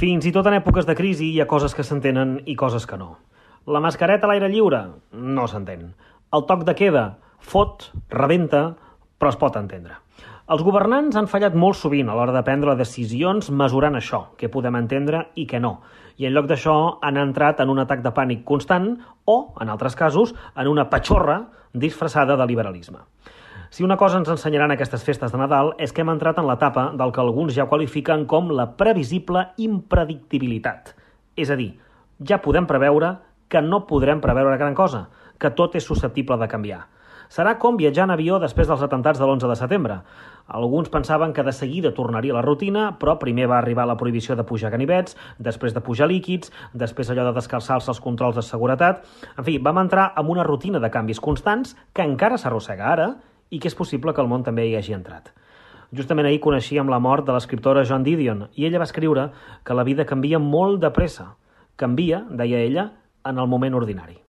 Fins i tot en èpoques de crisi hi ha coses que s'entenen i coses que no. La mascareta a l'aire lliure? No s'entén. El toc de queda? Fot, rebenta, però es pot entendre. Els governants han fallat molt sovint a l'hora de prendre decisions mesurant això, què podem entendre i què no. I en lloc d'això han entrat en un atac de pànic constant o, en altres casos, en una patxorra disfressada de liberalisme. Si una cosa ens ensenyaran aquestes festes de Nadal és que hem entrat en l'etapa del que alguns ja qualifiquen com la previsible impredictibilitat. És a dir, ja podem preveure que no podrem preveure gran cosa, que tot és susceptible de canviar. Serà com viatjar en avió després dels atemptats de l'11 de setembre. Alguns pensaven que de seguida tornaria a la rutina, però primer va arribar la prohibició de pujar ganivets, després de pujar líquids, després allò de descalçar-se els controls de seguretat. En fi, vam entrar en una rutina de canvis constants que encara s'arrossega ara i que és possible que el món també hi hagi entrat. Justament ahir coneixíem la mort de l'escriptora Joan Didion i ella va escriure que la vida canvia molt de pressa. Canvia, deia ella, en el moment ordinari.